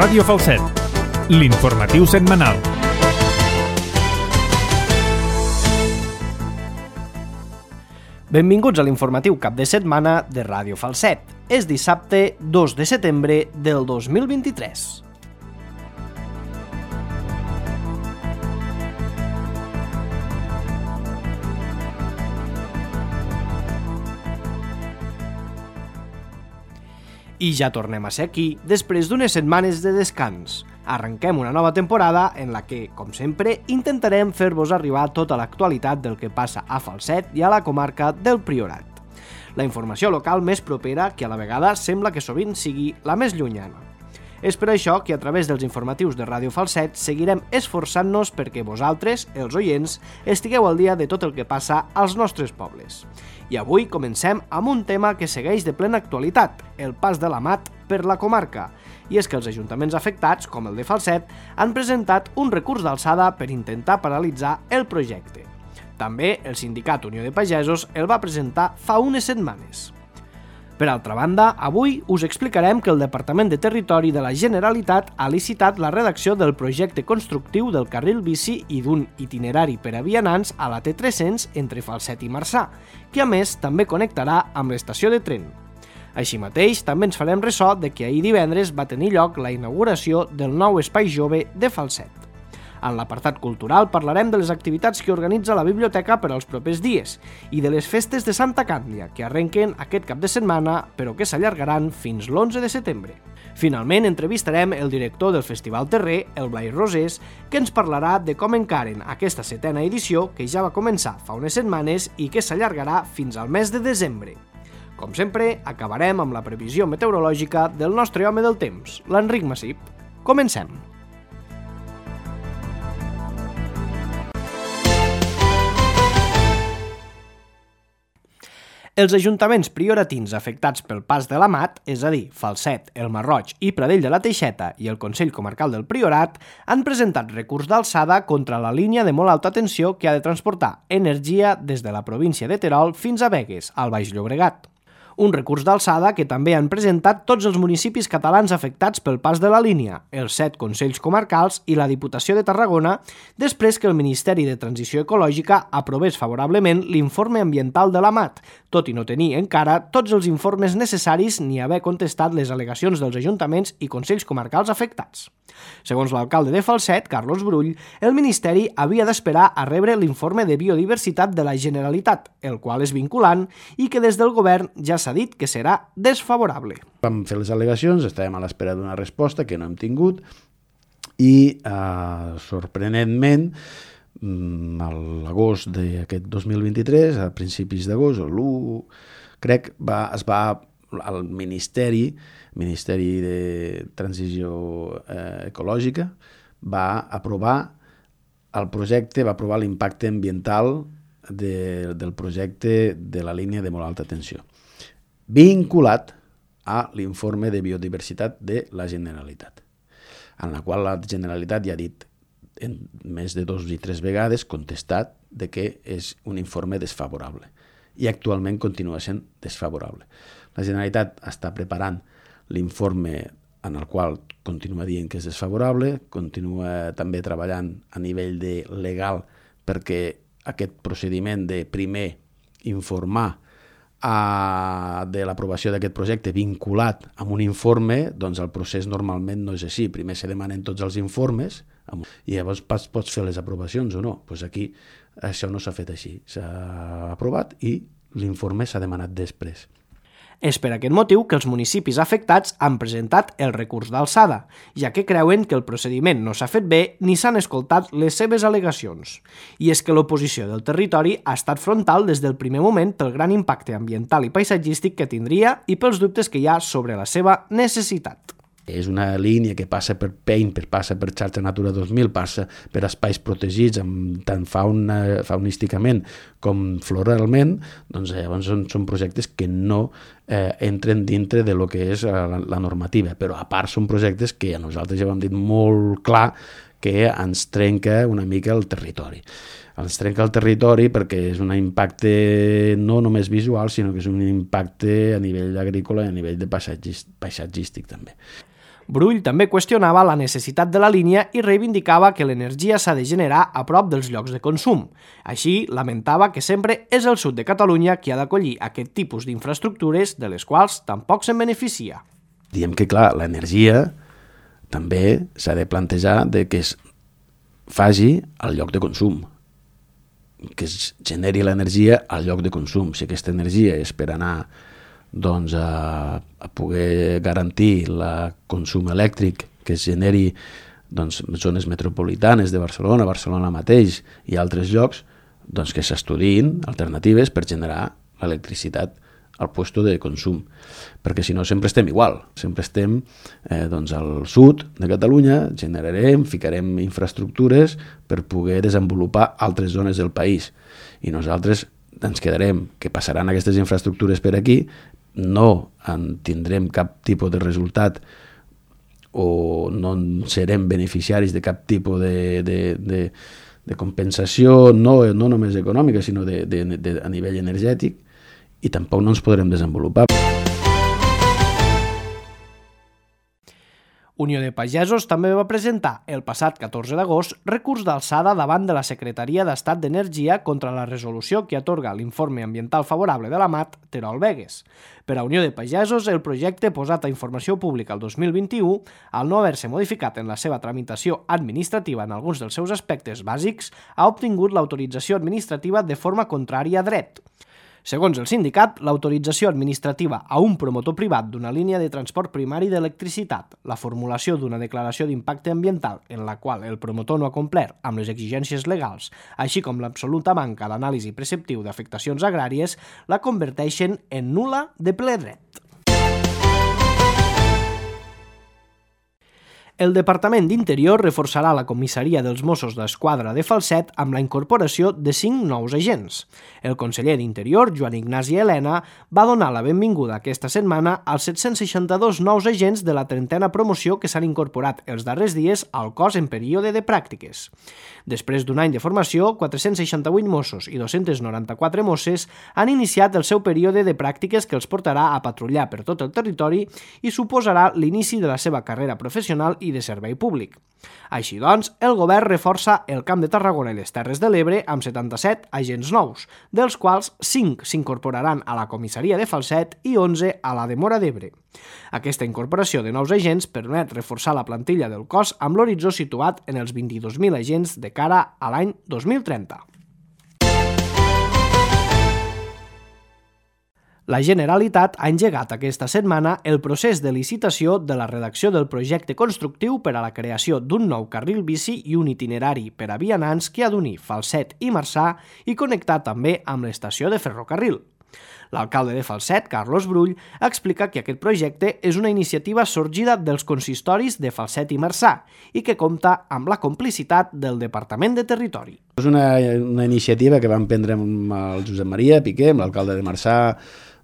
Ràdio Falset, l'informatiu setmanal. Benvinguts a l'informatiu cap de setmana de Ràdio Falset. És dissabte 2 de setembre del 2023. I ja tornem a ser aquí després d'unes setmanes de descans. Arrenquem una nova temporada en la que, com sempre, intentarem fer-vos arribar tota l'actualitat del que passa a Falset i a la comarca del Priorat. La informació local més propera que a la vegada sembla que sovint sigui la més llunyana. És per això que a través dels informatius de Ràdio Falset seguirem esforçant-nos perquè vosaltres, els oients, estigueu al dia de tot el que passa als nostres pobles. I avui comencem amb un tema que segueix de plena actualitat, el pas de la mat per la comarca. I és que els ajuntaments afectats, com el de Falset, han presentat un recurs d'alçada per intentar paralitzar el projecte. També el sindicat Unió de Pagesos el va presentar fa unes setmanes. Per altra banda, avui us explicarem que el Departament de Territori de la Generalitat ha licitat la redacció del projecte constructiu del carril bici i d'un itinerari per a vianants a la T300 entre Falset i Marçà, que a més també connectarà amb l'estació de tren. Així mateix, també ens farem ressò de que ahir divendres va tenir lloc la inauguració del nou espai jove de Falset. En l'apartat cultural parlarem de les activitats que organitza la biblioteca per als propers dies i de les festes de Santa Càndlia, que arrenquen aquest cap de setmana, però que s'allargaran fins l'11 de setembre. Finalment, entrevistarem el director del Festival Terrer, el Blai Rosés, que ens parlarà de com encaren aquesta 7a edició, que ja va començar fa unes setmanes i que s'allargarà fins al mes de desembre. Com sempre, acabarem amb la previsió meteorològica del nostre home del temps, l'Enric Massip. Comencem! Els ajuntaments prioratins afectats pel pas de la mat, és a dir, Falset, el Masroig i Pradell de la Teixeta i el Consell Comarcal del Priorat, han presentat recurs d'alçada contra la línia de molt alta tensió que ha de transportar energia des de la província de Terol fins a Begues, al Baix Llobregat. Un recurs d'alçada que també han presentat tots els municipis catalans afectats pel pas de la línia, els 7 consells comarcals i la Diputació de Tarragona, després que el Ministeri de Transició Ecològica aprovés favorablement l'informe ambiental de la mat, tot i no tenir encara tots els informes necessaris ni haver contestat les al·legacions dels ajuntaments i consells comarcals afectats. Segons l'alcalde de Falset, Carlos Brull, el Ministeri havia d'esperar a rebre l'informe de biodiversitat de la Generalitat, el qual és vinculant i que des del govern ja s'ha dit que serà desfavorable. Vam fer les al·legacions, estàvem a l'espera d'una resposta que no hem tingut i, sorprenentment, a l'agost d'aquest 2023, a principis d'agost, l'1, crec, el Ministeri de Transició Ecològica va aprovar el projecte, va aprovar l'impacte ambiental del projecte de la línia de molt alta tensió, vinculat a l'informe de biodiversitat de la Generalitat, en la qual la Generalitat ja ha dit en més de 2 i 3 vegades contestat de que és un informe desfavorable i actualment continua sent desfavorable. La Generalitat està preparant l'informe en el qual continua dient que és desfavorable, continua també treballant a nivell legal perquè aquest procediment de primer informar de l'aprovació d'aquest projecte vinculat amb un informe, doncs el procés normalment no és així. Primer se demanen tots els informes i llavors pots fer les aprovacions o no. Doncs aquí això no s'ha fet així. S'ha aprovat i l'informe s'ha demanat després. És per aquest motiu que els municipis afectats han presentat el recurs d'alçada, ja que creuen que el procediment no s'ha fet bé ni s'han escoltat les seves al·legacions. I és que l'oposició del territori ha estat frontal des del primer moment pel gran impacte ambiental i paisatgístic que tindria i pels dubtes que hi ha sobre la seva necessitat. És una línia que passa per Pein, passa per Xarxa Natura 2000, passa per espais protegits amb tant faunísticament com floralment, doncs llavors són projectes que no entren dintre de lo que és la normativa, però a part són projectes que a nosaltres ja ho hem dit molt clar que ens trenca una mica el territori. Ens trenca el territori perquè és un impacte no només visual, sinó que és un impacte a nivell agrícola i a nivell de paisatgístic també. Brull també qüestionava la necessitat de la línia i reivindicava que l'energia s'ha de generar a prop dels llocs de consum. Així, lamentava que sempre és el sud de Catalunya qui ha d'acollir aquest tipus d'infraestructures de les quals tampoc se'n beneficia. Diem que, clar, l'energia també s'ha de plantejar de que es faci al lloc de consum, que es generi l'energia al lloc de consum. Si aquesta energia és per anar doncs, a poder garantir el consum elèctric que es generi doncs, zones metropolitanes de Barcelona, Barcelona mateix i altres llocs, doncs que s'estudiïn alternatives per generar l'electricitat al puesto de consum, perquè si no sempre estem igual, sempre estem doncs al sud de Catalunya, generarem, ficarem infraestructures per poder desenvolupar altres zones del país i nosaltres ens quedarem que passaran aquestes infraestructures per aquí, no en tindrem cap tipus de resultat o no serem beneficiaris de cap tipus de compensació, no només econòmica, sinó a nivell energètic, i tampoc no ens podrem desenvolupar. Unió de Pagesos també va presentar el passat 14 d'agost recurs d'alçada davant de la Secretaria d'Estat d'Energia contra la resolució que atorga l'informe ambiental favorable de la MAT Terol-Begues. Per a Unió de Pagesos, el projecte posat a informació pública el 2021, al no haver-se modificat en la seva tramitació administrativa en alguns dels seus aspectes bàsics, ha obtingut l'autorització administrativa de forma contrària a dret. Segons el sindicat, l'autorització administrativa a un promotor privat d'una línia de transport primari d'electricitat, la formulació d'una declaració d'impacte ambiental en la qual el promotor no ha complert amb les exigències legals, així com l'absoluta manca d'anàlisi preceptiu d'afectacions agràries, la converteixen en nul·la de ple dret. El Departament d'Interior reforçarà la comissaria dels Mossos d'Esquadra de Falset amb la incorporació de 5 nous agents. El conseller d'Interior, Joan Ignasi Elena, va donar la benvinguda aquesta setmana als 762 nous agents de la 30a promoció que s'han incorporat els darrers dies al cos en període de pràctiques. Després d'un any de formació, 468 Mossos i 294 Mosses han iniciat el seu període de pràctiques que els portarà a patrullar per tot el territori i suposarà l'inici de la seva carrera professional i de servei públic. Així doncs, el govern reforça el Camp de Tarragona i les Terres de l'Ebre amb 77 agents nous, dels quals 5 s'incorporaran a la comissaria de Falset i 11 a la de Móra d'Ebre. Aquesta incorporació de nous agents permet reforçar la plantilla del cos amb l'horitzó situat en els 22.000 agents de cara a l'any 2030. La Generalitat ha engegat aquesta setmana el procés de licitació de la redacció del projecte constructiu per a la creació d'un nou carril bici i un itinerari per a vianants que ha d'unir Falset i Marçà i connectar també amb l'estació de ferrocarril. L'alcalde de Falset, Carlos Brull, explica que aquest projecte és una iniciativa sorgida dels consistoris de Falset i Marçà i que compta amb la complicitat del Departament de Territori. És una iniciativa que vam prendre amb el Josep Maria Piqué, amb l'alcalde de Marçà,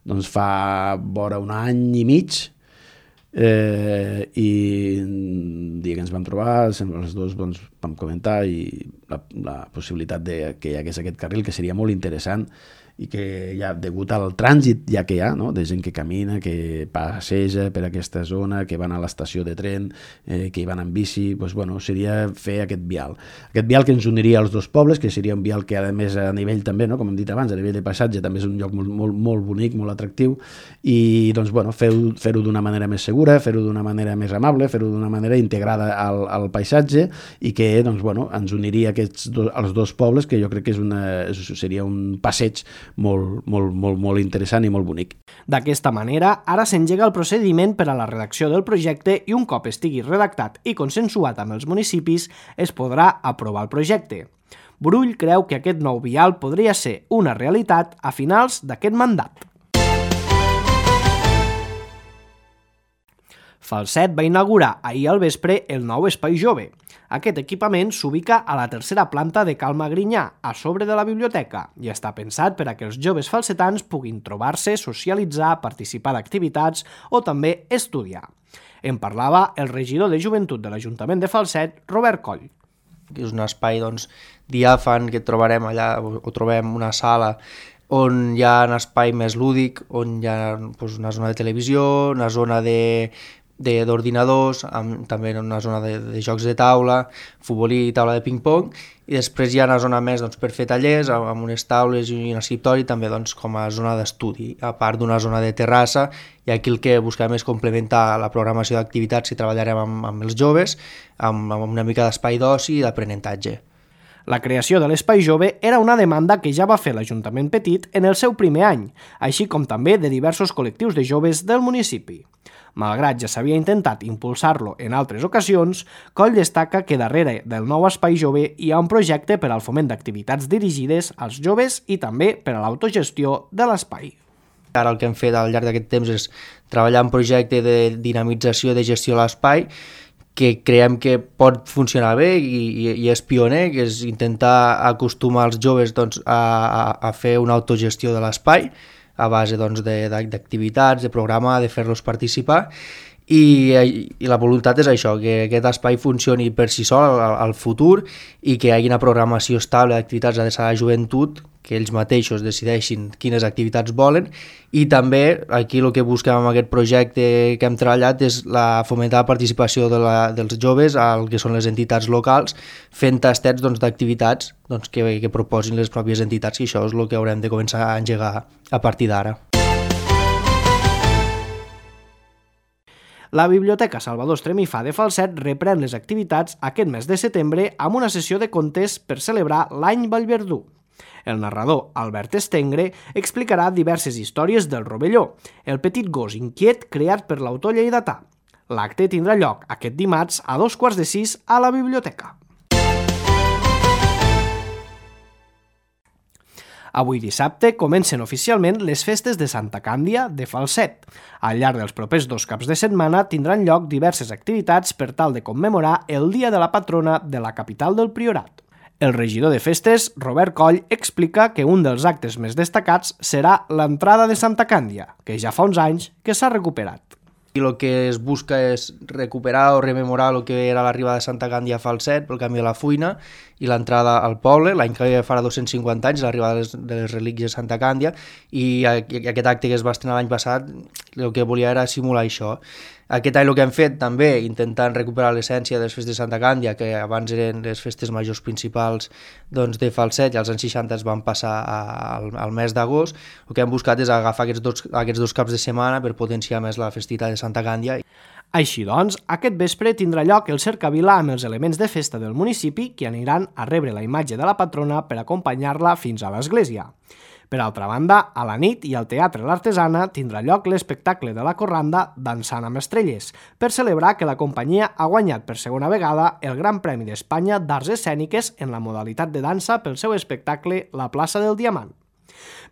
doncs fa vora un any i mig, i el dia que ens vam trobar els dos vam comentar la possibilitat que hi hagués aquest carril, que seria molt interessant i que ja degut al trànsit ja que hi ha, no? De gent que camina, que passeja per aquesta zona, que van a l'estació de tren, que hi van en bici, doncs, bueno, seria fer aquest vial. Aquest vial que ens uniria als dos pobles, que seria un vial que a més a nivell també, no? Com hem dit abans, a nivell de passatge també és un lloc molt bonic, molt atractiu, i doncs, bueno, fer-ho d'una manera més segura, fer-ho d'una manera més amable, fer-ho d'una manera integrada al paisatge i que doncs, bueno, ens uniria als dos pobles, que jo crec que seria un passeig molt interessant i molt bonic. D'aquesta manera, ara s'engega el procediment per a la redacció del projecte i un cop estigui redactat i consensuat amb els municipis, es podrà aprovar el projecte. Brull creu que aquest nou vial podria ser una realitat a finals d'aquest mandat. Falset va inaugurar ahir al vespre el nou Espai Jove. Aquest equipament s'ubica a la tercera planta de Cal Magrinyà, a sobre de la biblioteca, i està pensat per a que els joves falsetans puguin trobar-se, socialitzar, participar d'activitats o també estudiar. En parlava el regidor de Joventut de l'Ajuntament de Falset, Robert Coll. És un espai diàfan que trobarem allà, o trobem una sala on hi ha un espai més lúdic, on hi ha una zona de televisió, una zona de d'ordinadors, també una zona de jocs de taula, futbol i taula de ping-pong, i després hi ha una zona més per fer tallers, amb unes taules i un escriptori, també com a zona d'estudi, a part d'una zona de terrassa, i aquí el que busquem és complementar la programació d'activitats que treballarem amb els joves, amb una mica d'espai d'oci i d'aprenentatge. La creació de l'Espai Jove era una demanda que ja va fer l'Ajuntament Petit en el seu primer any, així com també de diversos col·lectius de joves del municipi. Malgrat ja s'havia intentat impulsar-lo en altres ocasions, Coll destaca que darrere del nou Espai Jove hi ha un projecte per al foment d'activitats dirigides als joves i també per a l'autogestió de l'espai. Ara el que hem fet al llarg d'aquest temps és treballar en un projecte de dinamització de gestió de l'espai que creiem que pot funcionar bé i és pioner, que és intentar acostumar els joves a fer una autogestió de l'espai a base d'activitats, de programar, de fer-los participar, i la voluntat és això, que aquest espai funcioni per si sol al futur i que hi hagi una programació estable d'activitats adreçades a la joventut, que ells mateixos decideixin quines activitats volen, i també aquí el que busquem amb aquest projecte que hem treballat és fomentar la participació dels joves al que són les entitats locals, fent tastets d'activitats que proposin les pròpies entitats, i això és el que haurem de començar a engegar a partir d'ara. La Biblioteca Salvador Estremifà de Falset reprèn les activitats aquest mes de setembre amb una sessió de contes per celebrar l'any Vallverdú. El narrador Albert Estengre explicarà diverses històries del Rovelló, el petit gos inquiet creat per l'autor lleidatà. L'acte tindrà lloc aquest dimarts a 5:45 a la biblioteca. Avui dissabte comencen oficialment les festes de Santa Càndia de Falset. Al llarg dels propers 2 caps de setmana tindran lloc diverses activitats per tal de commemorar el dia de la patrona de la capital del Priorat. El regidor de festes, Robert Coll, explica que un dels actes més destacats serà l'entrada de Santa Càndia, que ja fa uns anys que s'ha recuperat. I el que es busca és recuperar o rememorar el que era l'arribada de Santa Càndia a Falset pel canvi de la Fuina i l'entrada al poble, l'any que farà 250 anys, l'arribada de les relíquies de Santa Càndia, i aquest acte que es va estrenar l'any passat el que volia era simular això. Aquest any el que hem fet també, intentant recuperar l'essència de les festes de Santa Càndia, que abans eren les festes majors principals de Falset i als anys 60 es van passar al mes d'agost, el que hem buscat és agafar aquests dos caps de setmana per potenciar més la festivitat de Santa Càndia. Així doncs, aquest vespre tindrà lloc el cercavila amb els elements de festa del municipi que aniran a rebre la imatge de la patrona per acompanyar-la fins a l'església. Per altra banda, a la nit i al Teatre L'Artesana tindrà lloc l'espectacle de la corranda Dansant amb estrelles, per celebrar que la companyia ha guanyat per segona vegada el Gran Premi d'Espanya d'Arts Escèniques en la modalitat de dansa pel seu espectacle La plaça del Diamant.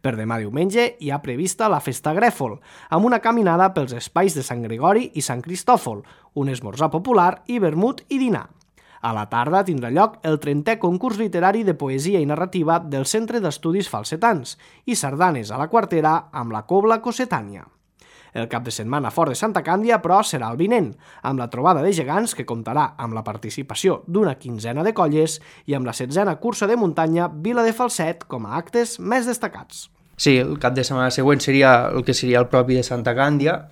Per demà diumenge hi ha prevista la Festa Grèfol, amb una caminada pels espais de Sant Gregori i Sant Cristòfol, un esmorzar popular i vermut i dinar. A la tarda tindrà lloc el 30è concurs literari de poesia i narrativa del Centre d'Estudis Falsetans i sardanes a la Quartera amb la Cobla Cossetània. El cap de setmana fort de Santa Càndia, però, serà el vinent, amb la trobada de gegants que comptarà amb la participació d'una quinzena de colles i amb la 7a cursa de muntanya Vila de Falset com a actes més destacats. Sí, el cap de setmana següent seria el que seria el propi de Santa Càndia,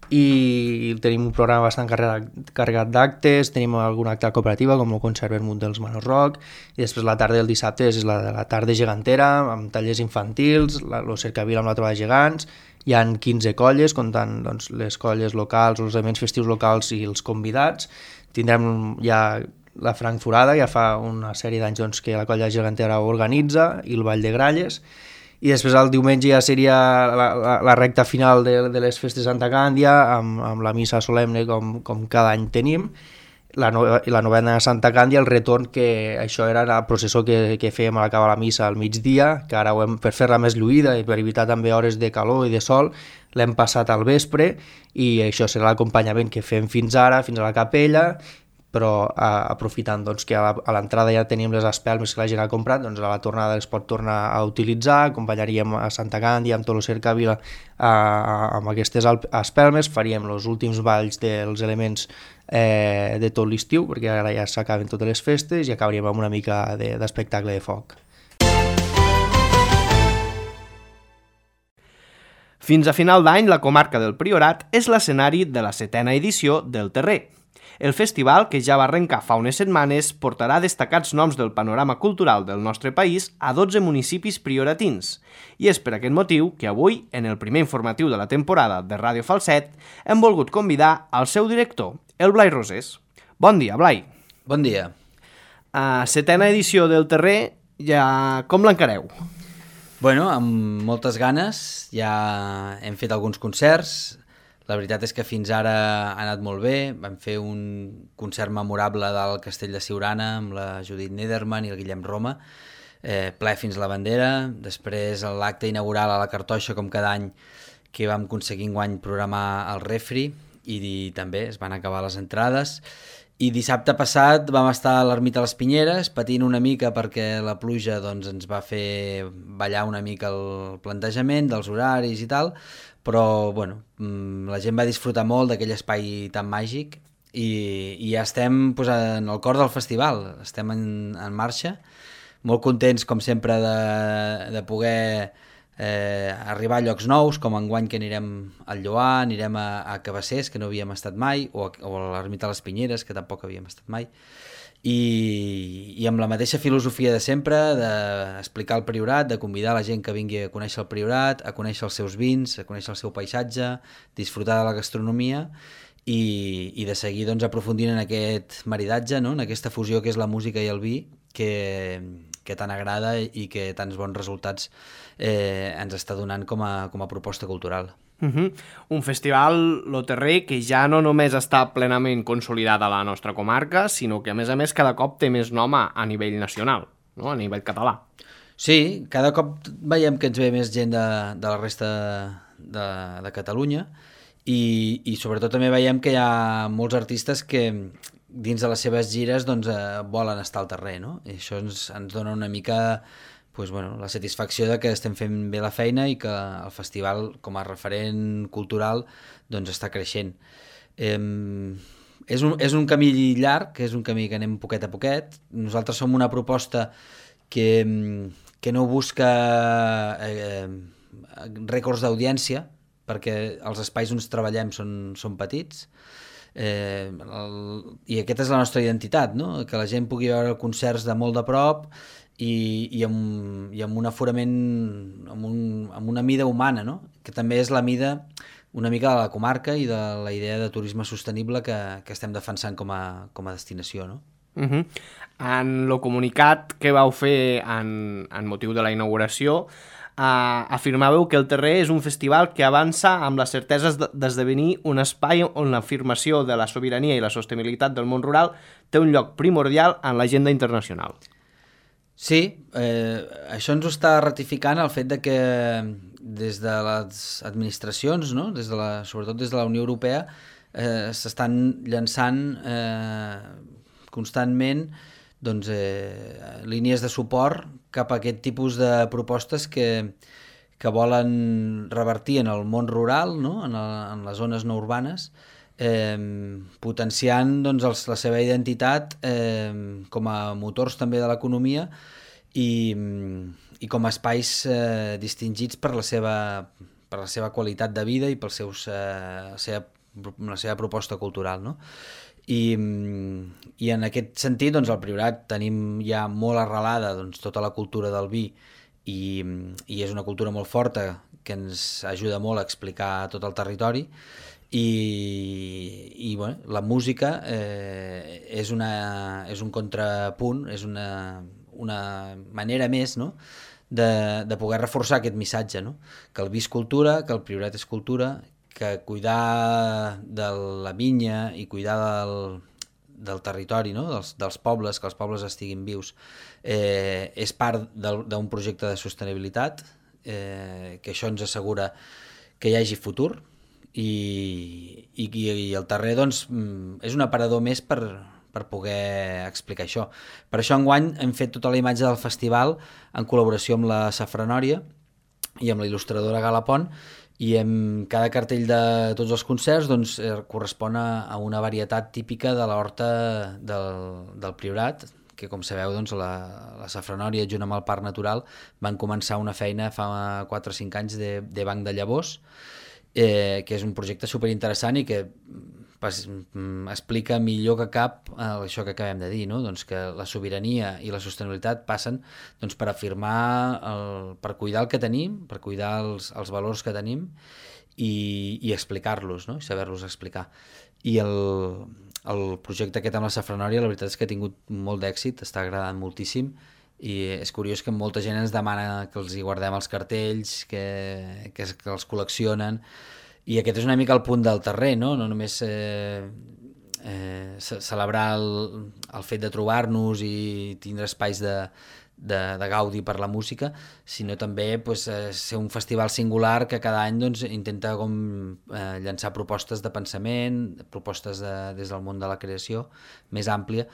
i tenim un programa bastant carregat d'actes, tenim algun acte de cooperativa com el concert vermut dels Manos Rock, i després la tarda del dissabte és la tarda gegantera amb tallers infantils, el cercavila amb la trobada de gegants, hi ha 15 colles comptant les colles locals, els elements festius locals i els convidats. Tindrem ja la Frankfurada, ja fa una sèrie d'anys que la colla gegantera organitza, i el Ball de Gralles. I després el diumenge ja seria la recta final de les festes de Santa Càndia, amb la missa solemne com cada any tenim, la novena de Santa Càndia, el retorn, que això era el processó que fèiem a l'acabar la missa al migdia, que ara per fer-la més lluïda i per evitar també hores de calor i de sol, l'hem passat al vespre, i això serà l'acompanyament que fem fins ara, fins a la capella, però aprofitant que a l'entrada ja tenim les espelmes que la gent ha comprat, a la tornada les pot tornar a utilitzar, acompanyaríem a Santa Càndia amb tot el cercavila amb aquestes espelmes, faríem els últims balls dels elements de tot l'estiu, perquè ara ja s'acaben totes les festes, i acabaríem amb una mica d'espectacle de foc. Fins a final d'any, la comarca del Priorat és l'escenari de la 7a edició del Terrer. El festival, que ja va arrencar fa unes setmanes, portarà destacats noms del panorama cultural del nostre país a 12 municipis prioratins. I és per aquest motiu que avui, en el primer informatiu de la temporada de Ràdio Falset, hem volgut convidar al seu director, el Blai Rosés. Bon dia, Blai. Bon dia. 7a edició del Terrer, ja com l'encareu? Bueno, amb moltes ganes, ja hem fet alguns concerts. La veritat és que fins ara ha anat molt bé. Vam fer un concert memorable del Castell de Siurana amb la Judit Nederman i el Guillem Roma, ple fins a la bandera. Després l'acte inaugural a la Cartoixa, com cada any, que vam aconseguir enguany programar al Refri, i també es van acabar les entrades. I dissabte passat vam estar a l'Ermita de les Pinyeres patint una mica perquè la pluja ens va fer ballar una mica el plantejament dels horaris i tal, però bueno, la gent va disfrutar molt d'aquell espai tan màgic i ja estem en el cor del festival, estem en marxa, molt contents com sempre de poder arribar a llocs nous, com enguany que anirem al Lloar, anirem a Cabassers, que no havíem estat mai, o a l'Ermita de les Pinyeres, que tampoc havíem estat mai, i amb la mateixa filosofia de sempre, d'explicar el Priorat, de convidar la gent que vingui a conèixer el Priorat, a conèixer els seus vins, a conèixer el seu paisatge, disfrutar de la gastronomia i de seguir aprofundint en aquest maridatge, no? En aquesta fusió que és la música i el vi, que tant agrada i que tants bons resultats ens està donant com a proposta cultural. Un festival, lo Terrer, que ja no només està plenament consolidat a la nostra comarca, sinó que a més cada cop té més nom a nivell nacional, no? A nivell català. Sí, cada cop veiem que ens ve més gent de la resta de Catalunya i sobretot també veiem que hi ha molts artistes que dins de les seves gires volen estar al Terrer, no? I això ens dona una mica la satisfacció de que estem fent bé la feina i que el festival com a referent cultural està creixent. És un camí llarg, és un camí que anem poquet a poquet. Nosaltres som una proposta que no busca rècords d'audiència, perquè els espais on treballem són petits, i aquesta és la nostra identitat, no? Que la gent pugui veure concerts de molt de prop i amb un aforament, amb una mida humana, no? Que també és la mida una mica de la comarca i de la idea de turisme sostenible que estem defensant com a destinació, no? En el comunicat que vau fer en motiu de la inauguració, afirmàveu que el Terrer és un festival que avança amb les certeses d'esdevenir un espai on l'afirmació de la sobirania i la sostenibilitat del món rural té un lloc primordial en l'agenda internacional. Sí, això ens ho està ratificant el fet de que des de les administracions, no? Sobretot des de la Unió Europea, s'estan llançant constantment línies de suport cap a aquest tipus de propostes que volen revertir en el món rural, no? En les zones no urbanes, potenciant la seva identitat com a motors també de l'economia i com a espais distingits per la seva qualitat de vida i per la seva proposta cultural, no? I en aquest sentit, al Priorat tenim ja molt arrelada tota la cultura del vi i és una cultura molt forta que ens ajuda molt a explicar tot el territori i la música és un contrapunt, és una manera més, no? de poder reforçar aquest missatge, no? Que el vi és cultura, que el Priorat és cultura, que cuidar de la vinya i cuidar del territori, no? dels pobles, que els pobles estiguin vius, és part d'un projecte de sostenibilitat, que això ens assegura que hi hagi futur i el Terrer és un aparador més per poder explicar això. Per això enguany hem fet tota la imatge del festival en col·laboració amb la Safranòria i amb la il·lustradora Gala Pont, i cada cartell de tots els concerts correspon a una varietat típica de l'horta del Priorat, que com sabeu, doncs, la Safranòria, junt amb el Parc Natural, van començar una feina fa 4 o 5 anys de banc de llavors, que és un projecte superinteressant i que explica millor que cap això que acabem de dir, no? Doncs que la sobirania i la sostenibilitat passen doncs, per afirmar, per cuidar el que tenim, per cuidar els valors que tenim i explicar-los, no? I saber-los explicar. I el projecte aquest amb la Safranòria, la veritat és que ha tingut molt d'èxit, està agradant moltíssim, i és curiós que molta gent ens demana que els hi guardem els cartells, que els col·leccionen, i aquest és una mica el punt del Terrer, no? No només celebrar el fet de trobar-nos i tindre espais de gaudi per la música, sinó també pues, ser un festival singular que cada any doncs, intenta llançar propostes de pensament, propostes des del món de la creació més àmplia,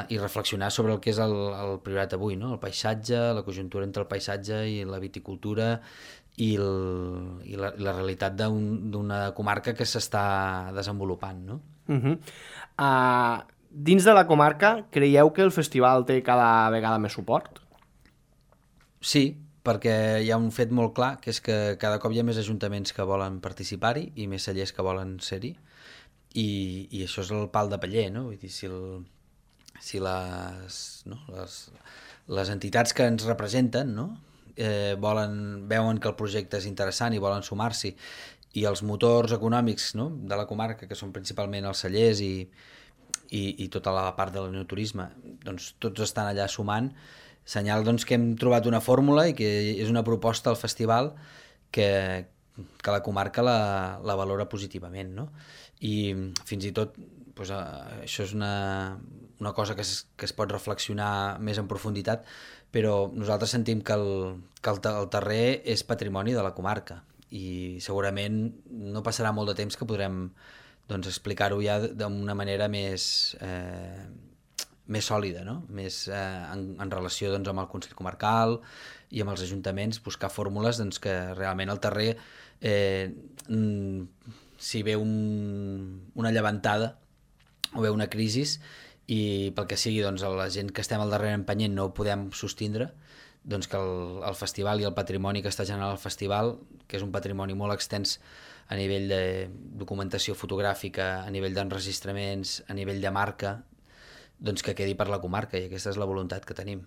i reflexionar sobre el que és el Priorat avui, no? El paisatge, la conjuntura entre el paisatge i la viticultura i la realitat d'una comarca que s'està desenvolupant, no? Dins de la comarca, creieu que el festival té cada vegada més suport? Sí, perquè hi ha un fet molt clar, que és que cada cop hi ha més ajuntaments que volen participar-hi i més cellers que volen ser-hi, i això és el pal de paller, no? Vull dir, si les entitats que ens representen, no? Veuen que el projecte és interessant i volen sumar-s'hi, i els motors econòmics, no? De la comarca, que són principalment els cellers i tota la part de l'enoturisme, doncs tots estan allà sumant, senyal doncs, que hem trobat una fórmula i que és una proposta al festival que la comarca la valora positivament, no? I fins i tot doncs, això és una cosa que es pot reflexionar més en profunditat, però nosaltres sentim que el Terrer és patrimoni de la comarca i segurament no passarà molt de temps que podrem doncs, explicar-ho ja d'una manera més sòlida, no? Més en relació doncs, amb el Consell Comarcal i amb els ajuntaments, buscar fórmules doncs, que realment el Terrer, si ve una llevantada o ve una crisi i pel que sigui doncs, la gent que estem al darrere empenyent no ho podem sostindre, doncs que el festival i el patrimoni que està generant el festival, que és un patrimoni molt extens a nivell de documentació fotogràfica, a nivell d'enregistraments, a nivell de marca, doncs que quedi per la comarca, i aquesta és la voluntat que tenim.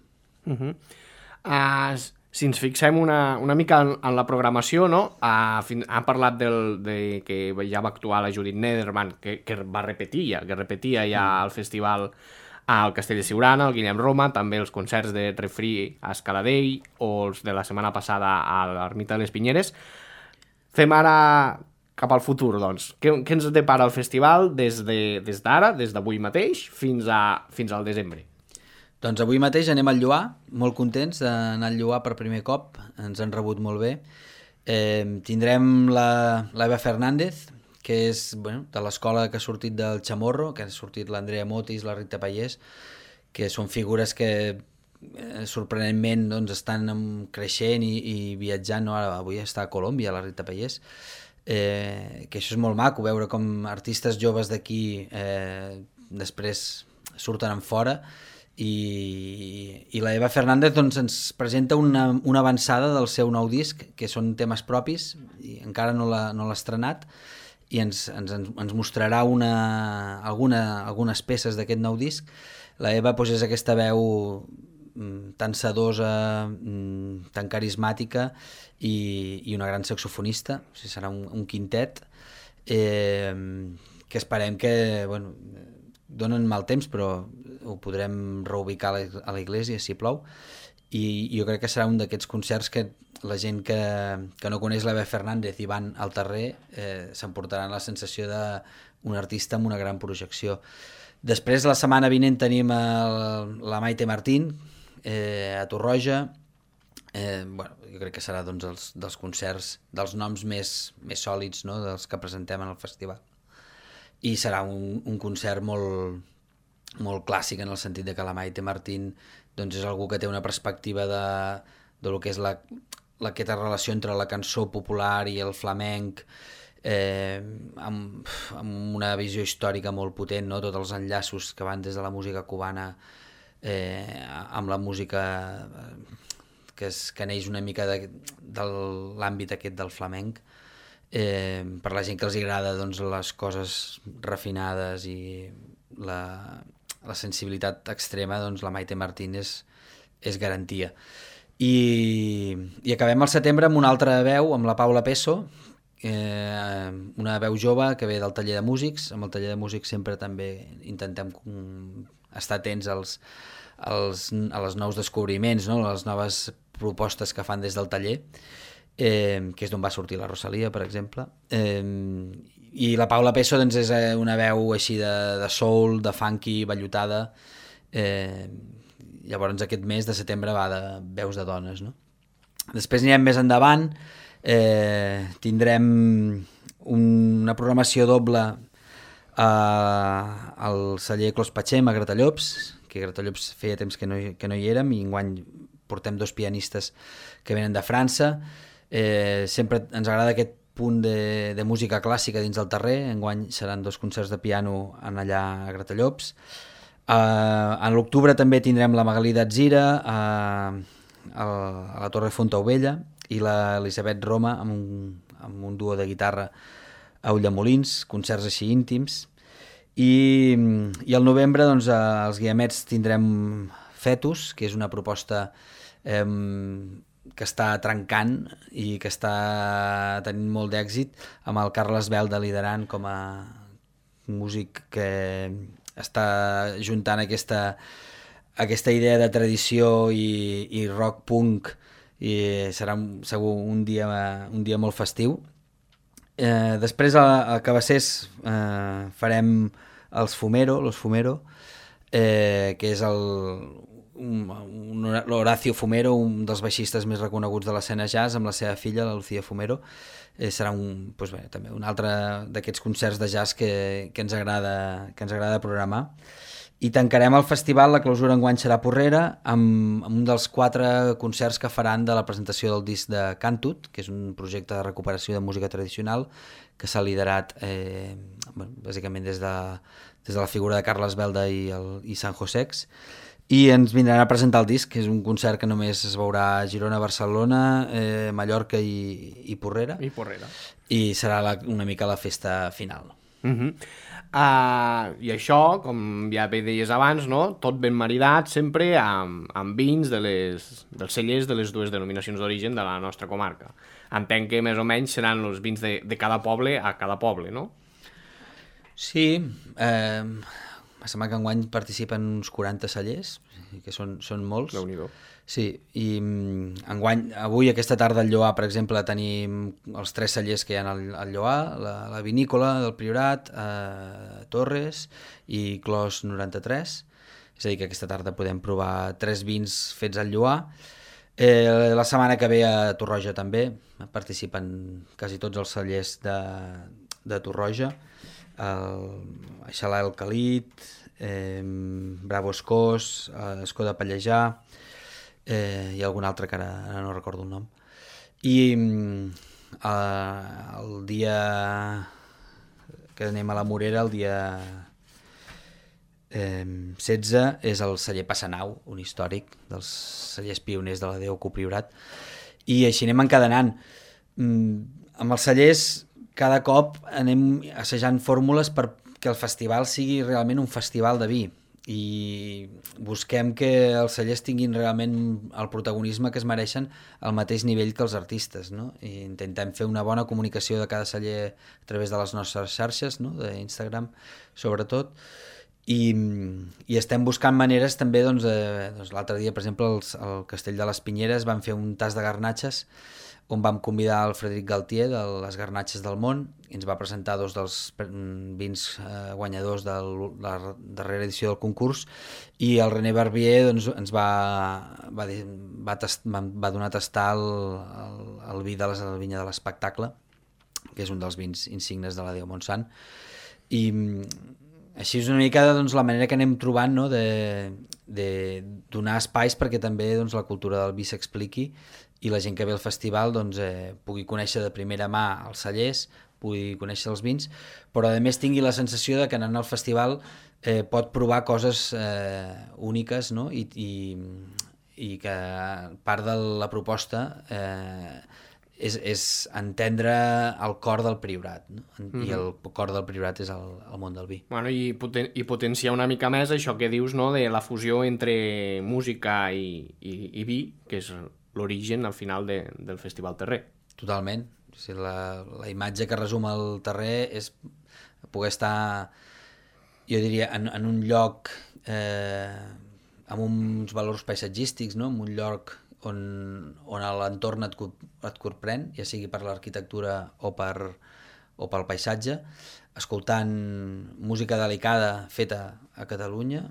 Si ens fixem una mica en la programació, no? Ha parlat de que ja va actuar la Judit Nederman, que repetia ja al festival al Castell de Siurana, al Guillem Roma, també els concerts de Refri a Escaladell o els de la setmana passada a l'Ermita de les Pinyeres. Fem ara cap al futur, doncs. Què ens depara el festival des d'ara, des d'avui mateix, fins al desembre? Doncs avui mateix anem al Lloar, molt contents d'anar al Lloar per primer cop, ens han rebut molt bé. Tindrem l'Eva Fernández, que és de l'escola que ha sortit del Chamorro, que ha sortit l'Andrea Motis, la Rita Pallés, que són figures que sorprenentment doncs, estan creixent i viatjant, no? Avui està a Colòmbia la Rita Pallés, que això és molt maco, veure com artistes joves d'aquí després surten en fora, i la Eva Fernández doncs, ens presenta una avançada del seu nou disc, que són temes propis, i encara no l'ha estrenat, i ens mostrarà algunes peces d'aquest nou disc. La Eva doncs, és aquesta veu tan sedosa, tan carismàtica i una gran saxofonista, o sigui, serà un quintet que esperem que donen mal temps però ho podrem reubicar a la iglesia si plou, i jo crec que serà un d'aquests concerts que la gent que no coneix l'Eva Fernández i van al Terrer s'emportaran la sensació d'un artista amb una gran projecció. Després, la setmana vinent tenim la Maite Martín a Torroja. Jo crec que serà doncs, dels concerts, dels noms més sòlids, no? Dels que presentem en el festival. I serà un concert molt clàssic en el sentit de que la Maite Martín doncs, és algú que té una perspectiva de lo que és aquesta relació entre la cançó popular i el flamenc, amb una visió històrica molt potent, no? Tots els enllaços que van des de la música cubana amb la música que neix una mica de l'àmbit aquest del flamenc. Per la gent que els agrada doncs, les coses refinades i la sensibilitat extrema, doncs la Maite Martín és garantia. I acabem al setembre amb una altra veu, amb la Paula Peso, una veu jove que ve del taller de músics. Amb el taller de músics sempre també intentem estar atents als nous descobriments, no? A les noves propostes que fan des del taller, que és d'on va sortir la Rosalia, per exemple. I la Paula Peso doncs, és una veu així de soul, de funky, vellutada. Llavors aquest mes de setembre va de veus de dones, no? Després anirem més endavant, tindrem una programació doble al celler Clos Patxem a Gratallops, que a Gratallops feia temps que no hi érem, i enguany portem 2 pianistes que venen de França. Sempre ens agrada aquest punt de música clàssica dins del terrer. Enguany seran 2 concerts de piano allà a Gratallops. En l'octubre també tindrem la Magalí d'Atzira a la Torre Fontaubella i l'Elisabet Roma amb un duo de guitarra a Ulldemolins, concerts així íntims. I al novembre doncs, als Guiamets tindrem Fetus, que és una proposta que està trencant i que està tenint molt d'èxit, amb el Carles Belda liderant com a músic que està juntant aquesta idea de tradició i rock punk, i serà segur un dia molt festiu. Després a Cabassers farem los Fumero, que és l'Horacio Fumero, un dels baixistes més reconeguts de l'escena jazz, amb la seva filla, la Lucía Fumero. Serà també un altre d'aquests concerts de jazz que ens agrada programar. I tancarem el festival, la clausura enguany serà a Porrera, amb un dels 4 concerts que faran de la presentació del disc de Cantut, que és un projecte de recuperació de música tradicional que s'ha liderat bàsicament des de la figura de Carles Belda i San Josex. I ens vindran a presentar el disc, que és un concert que només es veurà a Girona, Barcelona, Mallorca i Porrera. I serà una mica la festa final. I això, com ja bé deies abans, no? Tot ben maridat sempre amb vins dels cellers de les 2 denominacions d'origen de la nostra comarca. Entenc que més o menys seran els vins de cada poble a cada poble, no? Sí, em sembla que enguany participen uns 40 cellers, que són molts. Déu-n'hi-do. Sí, i enguany, avui, aquesta tarda al Lloar, per exemple, tenim els 3 cellers que hi ha al Lloar, la vinícola del Priorat, Torres i Clos 93. És a dir, que aquesta tarda podem provar 3 vins fets al Lloar. La setmana que ve a Torroja també participen quasi tots els cellers de Torroja. Aixalà el Calit, Bravo Escós, Escó de Pallejà, i algun altre que ara no recordo el nom. I el dia que anem a la Morera, el dia 16, és el celler Passanau, un històric dels cellers pioners de la Déu Copriorat, i així anem encadenant. Amb els cellers cada cop anem assajant fórmules perquè el festival sigui realment un festival de vi, i busquem que els cellers tinguin realment el protagonisme que es mereixen al mateix nivell que els artistes, no? I intentem fer una bona comunicació de cada celler a través de les nostres xarxes, no? d'Instagram sobretot, i estem buscant maneres també, doncs l'altre dia, per exemple, al Castell de les Pinyeres van fer un tas de garnatxes on vam convidar el Frederic Galtier de les Garnatxes del Món, i ens va presentar 2 dels vins guanyadors de la darrera edició del concurs, i el René Barbier doncs, ens va donar a tastar el vi de la vinya de l'Espectacle, que és un dels vins insignes de la Déu Montsant. I així és una mica doncs, la manera que anem trobant, no? de donar espais perquè també doncs, la cultura del vi s'expliqui i la gent que ve al festival doncs, pugui conèixer de primera mà els cellers, pugui conèixer els vins, però a més tingui la sensació de que anant al festival pot provar coses úniques, no? I que part de la proposta és entendre el cor del Priorat, no? I el cor del Priorat és el món del vi. Bueno, i potenciar una mica més això que dius, no?, de la fusió entre música i vi, que és l'origen al final del Festival Terrer. Totalment. O sigui, la imatge que resum el Terrer és poder estar, jo diria, en un lloc amb uns valors paisatgístics, no? En un lloc on l'entorn et corprèn, ja sigui per l'arquitectura o pel paisatge, escoltant música delicada feta a Catalunya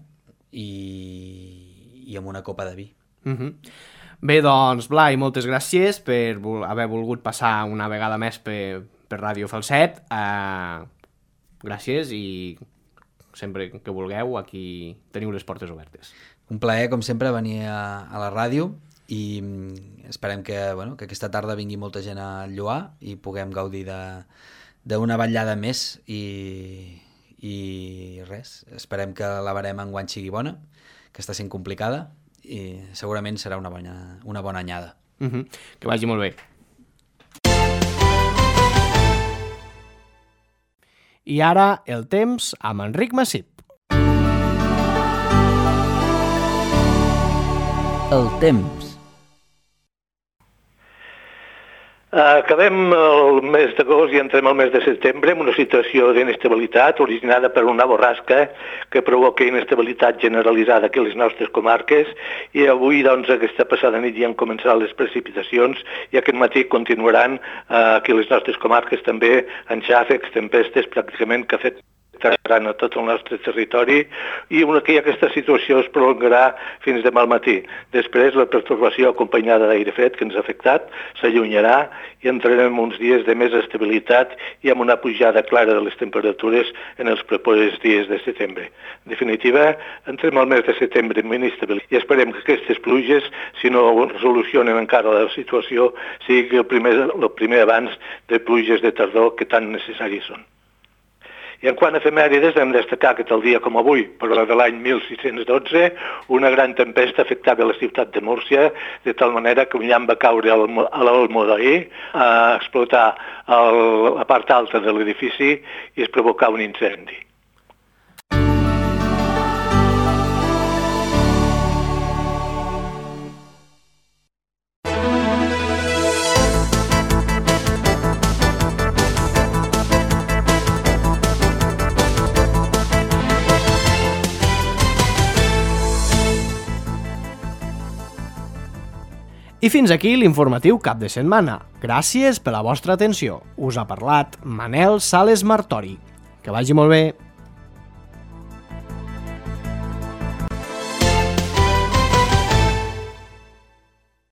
i amb una copa de vi. Bé, doncs, Blai, moltes gràcies per haver volgut passar una vegada més per Ràdio Falset. Gràcies i sempre que vulgueu aquí teniu les portes obertes. Un plaer, com sempre, venir a la ràdio i esperem que aquesta tarda vingui molta gent a Lloar i puguem gaudir d'una vetllada més i res, esperem que la barem enguany sigui bona, que està sent complicada i segurament serà una bona anyada. Que vagi molt bé. I ara el temps amb Enric Massip. El temps. Acabem el mes d'agost i entrem al mes de setembre amb una situació d'inestabilitat originada per una borrasca que provoca inestabilitat generalitzada aquí a les nostres comarques i avui, doncs, aquesta passada nit ja han començat les precipitacions i aquest matí continuaran aquí a les nostres comarques també en xàfecs, tempestes, pràcticament que afectaran a tot el nostre territori i aquesta situació es prolongarà fins demà al matí. Després la pertorbació acompanyada d'aire fred que ens ha afectat s'allunyarà i entrarem uns dies de més estabilitat i amb una pujada clara de les temperatures en els propers dies de setembre. En definitiva, entrem al mes de setembre amb inestabilitat i esperem que aquestes pluges, si no resolucionen encara la situació, sigui el primer abans de pluges de tardor que tan necessaris són. I en quant a efemèrides, hem de destacar que tal dia com avui, però de l'any 1612, una gran tempesta afectava la ciutat de Múrcia, de tal manera que un llamp va caure a l'Olmo d'ahir, a explotar la part alta de l'edifici i es provocà un incendi. I fins aquí l'informatiu cap de setmana. Gràcies per la vostra atenció. Us ha parlat Manel Sales Martori. Que vagi molt bé.